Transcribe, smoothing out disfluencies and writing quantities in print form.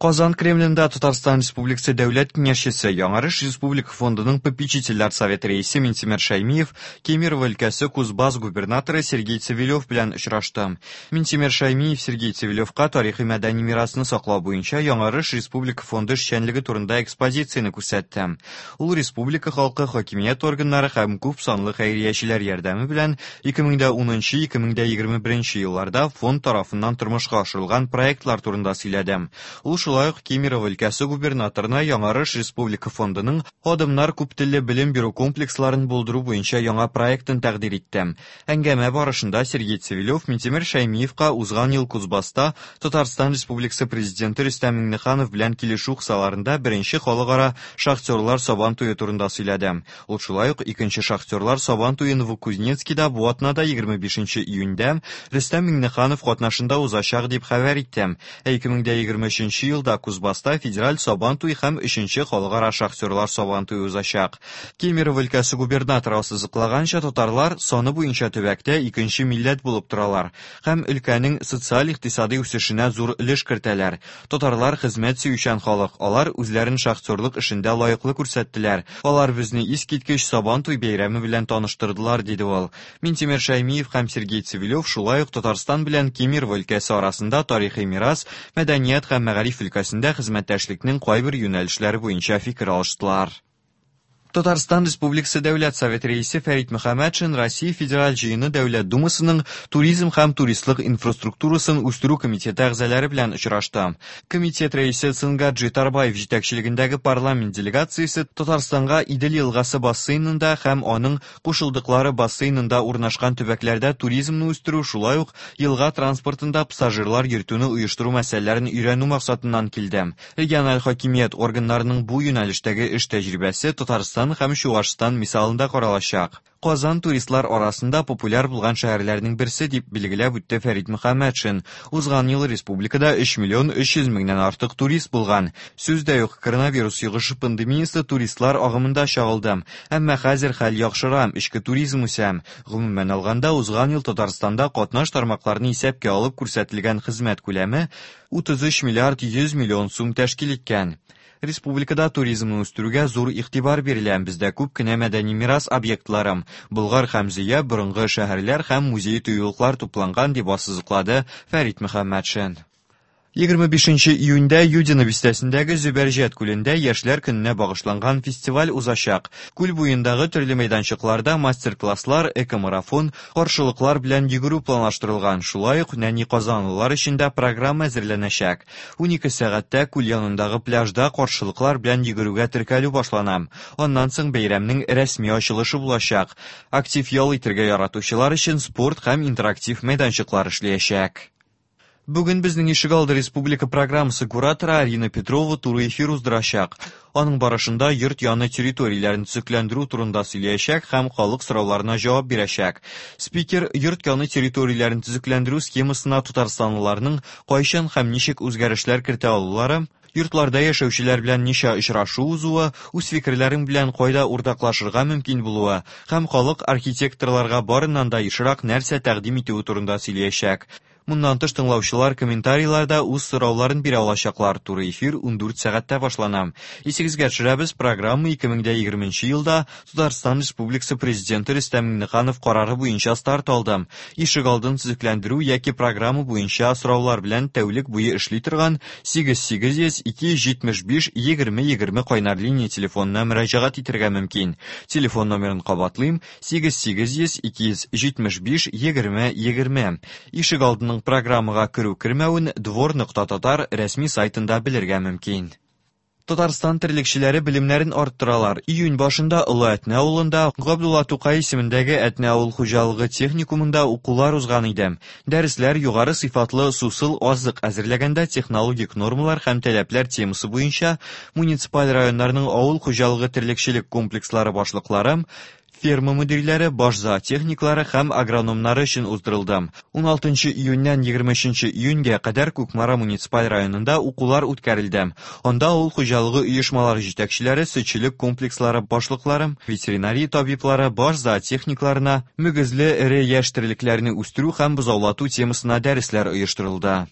Казан Кремлендә Татарстан Республикасы Дәүләт Киңәшчесе, Яңарыш Республика фондының попечительләр советы рәисе Минтимер Шәймиев Кемерово өлкәсе Кузбасс губернаторы Сергей Цивилев белән очрашты. Минтимер Шәймиев Сергей Цивилевка тарихи-мәдәни мирасны саклау буенча Яңарыш Республика фонды эшчәнлеге турында экспозицияне күрсәтте. Ул республика халкы, хакимият органнары һәм күп санлы хәйриячеләр ярдәме белән 2010-2021 елларда фонд тарафыннан тормышка ашырылган проектлар турында сөйләде. Ул шулай ук Кемерово өлкәсе губернаторына Яңарыш республика фондының Адымнар күптелле белем бирү комплексларын булдыру буенча яңа проектын тәкъдир итте. Әңгәмә барышында Сергей Цивилев Минтимер Шәймиевка узган ел Кузбасста Татарстан Республикасы Президенты Рөстәм Миңнеханов белән килешү кысаларында беренче халыкара шахтерлар Сабан туе турында сөйләде. Ул шулай ук икенче шахтерлар Сабан туе Новокузнецкида бу атнада 25 июньдә Рөстәм Миңнеханов катнашында узачак дип хәбәр итте. Ә 2023 елда Кузбасста федераль Сабан туе һәм өченче халыкара шахтерлар Сабан туе узачак. Кемерово өлкәсе губернаторы ассызыклаганча, татарлар саны буенча төбәктә икенче милләт булып торалар һәм өлкәнең социаль-икътисадый үсешенә зур өлеш кертәләр. Татарлар хезмәт сөючән халык, алар үзләрен шахтерлык эшендә лаеклы күрсәттеләр. Алар безне искиткеч Сабан туй бәйрәме белән таныштырдылар, диде ул. Минтимер Шәймиев һәм Сергей Цивилев шулай ук Татарстан белән Кемерово өлкәсе арасында тарихи мирас, мәдәният һәм мәгариф өлкәсендә хезмәттәшлекнең кайбер юнәлешләре буенча фикер алыштылар. Татарстан Республикасы Дәүләт Советы рәисе Фәрит Мөхәммәтшин Россия Федераль Җыены Дәүләт Думасының Туризм һәм туристлык инфраструктурасын үстерү комитеты әгъзалары белән очрашты. Комитет рәисе Цингаджи Тарбаев җитәкчелегендәге парламент делегациясе Татарстанга Идел елгасы бассейнында һәм аның кушылдыклары бассейнында урнашкан төбәкләрдә туризмны үстерү, шулай ук елга транспортында пассажирлар йөртүне оештыру мәсьәләләрен өйрәнү максатыннан килде. Региональ хакимият органнарының бу юнәлештәге эш тәҗрибәсе Татарстан һәм Чуашстан мисалында каралачак. Казан туристлар арасында популяр булган шәһәрләрнең берсе, дип билгеләп үтте Фәрит Мөхәммәтшин. Узган ел республикада 3 миллион 300 меңнән артык турист булган. Сүз дә юк, коронавирус йогышы пандемиясе туристлар агымында чагылды. Әмма хәзер хәл яхшыра, эчке туризм үсә. Гомумән алганда, узган ел Татарстанда катнаш тармакларны исәпкә алып күрсәтелгән хезмәт күләме 33 миллиард 100 миллион сум тәшкил иткән. Республикада туризмны үстерүгә зур игътибар бирелә. Бездә күп кенә мәдәни мирас объектлары, Болгар һәм Зөя, борынгы шәһәрләр һәм музей-тыюлыклар тупланган, дип ассызыклады Фәрит Мөхәммәтшин. 25 июньдә Юдино бистәсендәге Зөбәрҗәт күлендә Яшьләр көненә багышланган фестиваль узачак. Күл буендагы төрле мәйданчыкларда мастер-класслар, экомарафон, каршылыклар белән йөгерү планлаштырылган. Шулай ук нәни казанлылар өчен дә программа әзерләнәчәк. 12 сәгатьтә күл янындагы пляжда каршылыклар белән йөгерүгә теркәлү башлана. Аннан соң бәйрәмнең рәсми ачылышы булачак. Актив ял итәргә яратучылар өчен спорт һәм интерактив мәйданчыклар эшләячәк. Бүген безнең ишегалды республика программасы кураторы Арина Петрова туры эфир уздырачак. Аның барышында йорт яны территорияләрен төзекләндерү турында сөйләячәк һәм халык сорауларына җавап бирәчәк. Спикер йорт яны территорияләрен төзекләндерү схемасына татарстанлыларның кайчан һәм ничек үзгәрешләр кертә алулары, йортларда яшәүчеләр белән ничә очрашу узуы, үз фикерләрең белән кайда уртаклашырга мөмкин булуы һәм халык архитекторларга барыннан да ешрак нәрсә тәкъдим итүе турында сөйләячәк. Моннан тыш тыңлаучылар комментарийларда үз сорауларын бирә алачаклар. Туры эфир 14 сәгатьтә башлана. Исегезгә төшерәбез, программа 2020 елда Татарстан Республикасы Президенты Рөстәм Миңнеханов карары буенча старт алды. Ишегалдын төзекләндерү яки программа буенча сораулар белән тәүлек буе эшли торган 8800 275 20 20 кайнар линия телефонына мөрәҗәгать итәргә мөмкин. Телефон номерын кабатлыйм: 8800 275 20 20. Ишегалдының программага керү-кермәвен двор.татар рәсми сайтында белергә мөмкин. Татарстан терлекчеләре белемнәрен арттыралар. Июнь башында Олы Әтнә авылында Габдулла Тукай исемендәге Әтнә авыл хуҗалыгы техникумында укулар узган иде. Дәресләр югары сыйфатлы сусыл азык әзерләгәндә технологик нормалар һәм таләпләр темасы буенча муниципаль районнарның авыл хуҗалыгы терлекчелек комплекслары башлыклары, ферма мөдирләре, баш зоотехниклары һәм агрономнары өчен уздырылды. 16 июньнән 23 июньгә кадәр Кукмара муниципаль районында укулар үткәрелде. Анда авыл хуҗалыгы оешмалары җитәкчеләре, сөтчелек комплекслары башлыклары, ветеринария табиблары, баш зоотехникларына мөгезле эре яшь терлекләрне үстерү һәм бозаулату темасына дәресләр оештырылды.